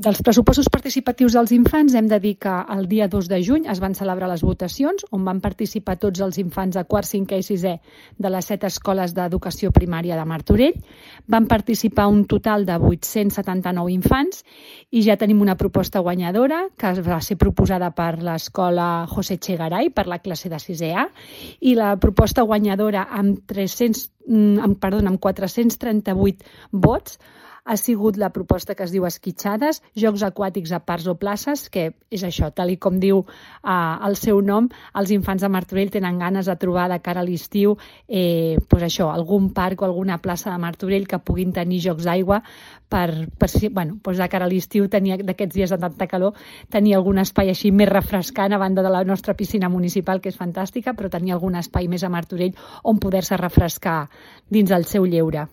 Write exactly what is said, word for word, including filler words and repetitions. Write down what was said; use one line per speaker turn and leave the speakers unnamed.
Dels pressupostos participatius dels infants hem de dir que el dia dos de juny es van celebrar les votacions on van participar tots els infants de quart, cinquè i sisè de les set escoles d'educació primària de Martorell. Van participar un total de vuit-cents setanta-nou infants i ja tenim una proposta guanyadora que va ser proposada per l'escola José Echegaray per la classe de sisè A i la proposta guanyadora amb, tres-cents, amb, perdó, amb quatre-cents trenta-vuit vots ha sigut la proposta que es diu Esquitxades, Jocs Aquàtics a Parcs o Places, que és això, tal i com diu eh, el seu nom, els infants de Martorell tenen ganes de trobar de cara a l'estiu eh, pues això, algun parc o alguna plaça de Martorell que puguin tenir jocs d'aigua per, per si, bueno, pues de cara a l'estiu, d'aquests dies de tanta calor, tenir algun espai així més refrescant a banda de la nostra piscina municipal, que és fantàstica, però tenir algun espai més a Martorell on poder-se refrescar dins el seu lleure.